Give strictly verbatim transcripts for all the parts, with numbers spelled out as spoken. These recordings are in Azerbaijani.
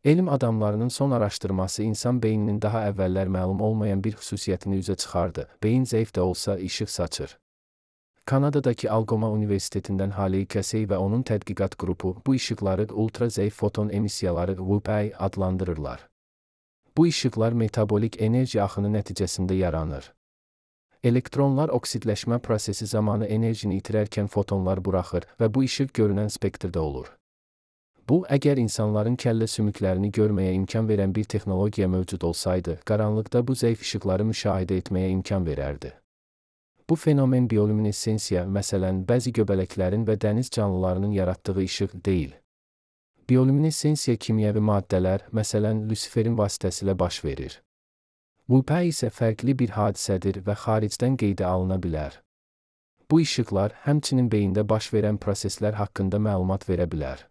Elm adamlarının son araşdırması insan beyninin daha əvvəllər məlum olmayan bir xüsusiyyətini üzə çıxardı. Beyin zəif də olsa işıq saçır. Kanadadakı Algoma Universitetindən Haley Casey və onun tədqiqat qrupu bu işıqları ultra zəif foton emissiyaları W P I adlandırırlar. Bu işıqlar metabolik enerji axını nəticəsində yaranır. Elektronlar oksidləşmə prosesi zamanı enerjini itirərkən fotonlar buraxır və bu işıq görünən spektrdə olur. Bu, əgər insanların kəllə sümüklərini görməyə imkan verən bir texnologiya mövcud olsaydı, qaranlıqda bu zəif işıqları müşahidə etməyə imkan verərdi. Bu fenomen bioluminesensiya, məsələn, bəzi göbələklərin və dəniz canlılarının yaratdığı işıq deyil. Bioluminesensiya kimyəvi maddələr, məsələn, lüsiferin vasitəsilə baş verir. W P I isə fərqli bir hadisədir və xaricdən qeydə alına bilər. Bu işıqlar həmçinin beyində baş verən proseslər haqqında məlumat verə bilər.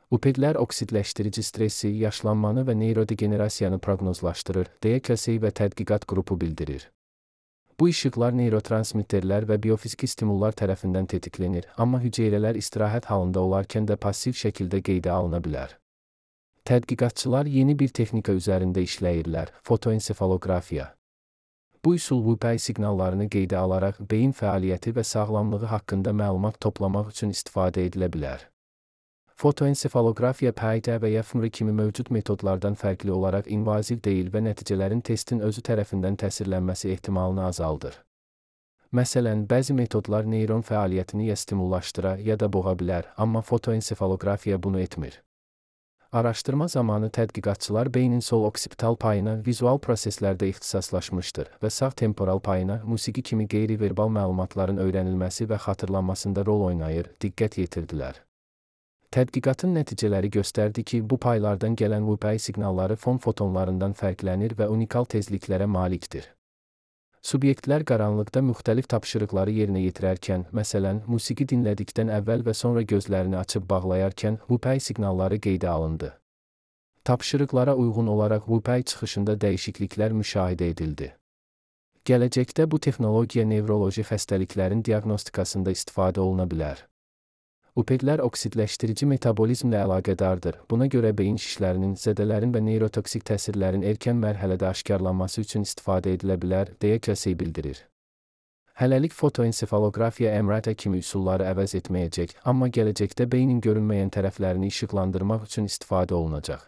W P I-lər oksidləşdirici stressi, yaşlanmanı və neyrodegenerasiyanı proqnozlaşdırır, deyə Casey və tədqiqat qrupu bildirir. Bu işıqlar neyrotransmitterlər və biofiziki stimullar tərəfindən tetiklenir, amma hüceyrələr istirahət halında olarkən də passiv şəkildə qeydə alına bilər. Tədqiqatçılar yeni bir texnika üzərində işləyirlər, fotoensefalografiya. Bu üsul W P I siqnallarını qeydə alaraq beyin fəaliyyəti və sağlamlığı haqqında məlumat toplamaq üçün istifadə edilə bilər. Fotoensefalografiya P E T və ya F M R kimi mövcud metodlardan fərqli olaraq invaziv deyil və nəticələrin testin özü tərəfindən təsirlənməsi ehtimalını azaldır. Məsələn, bəzi metodlar neyron fəaliyyətini ya stimullaşdıra ya da boğa bilər, amma fotoensefalografiya bunu etmir. Araşdırma zamanı tədqiqatçılar beynin sol oksipital payına vizual proseslərdə ixtisaslaşmışdır və sağ temporal payına musiqi kimi qeyri-verbal məlumatların öyrənilməsi və xatırlanmasında rol oynayır, diqqət yetirdilər. Tədqiqatın nəticələri göstərdi ki, bu paylardan gələn W P I siqnalları fon fotonlarından fərqlənir və unikal tezliklərə malikdir. Subyektlər qaranlıqda müxtəlif tapşırıqları yerinə yetirərkən, məsələn, musiqi dinlədikdən əvvəl və sonra gözlərini açıb bağlayarkən W P I siqnalları qeydə alındı. Tapşırıqlara uyğun olaraq W P I çıxışında dəyişikliklər müşahidə edildi. Gələcəkdə bu texnologiya nevroloji xəstəliklərin diaqnostikasında istifadə oluna bilər. W P I-lər oksidləşdirici metabolizmlə əlaqədardır. Buna görə beyin şişlərinin, zədələrin və neyrotoksik təsirlərin erkən mərhələdə aşkarlanması üçün istifadə edilə bilər, deyə Casey bildirir. Hələlik fotoensefalografiya M R T kimi üsulları əvəz etməyəcək, amma gələcəkdə beynin görünməyən tərəflərini işıqlandırmaq üçün istifadə olunacaq.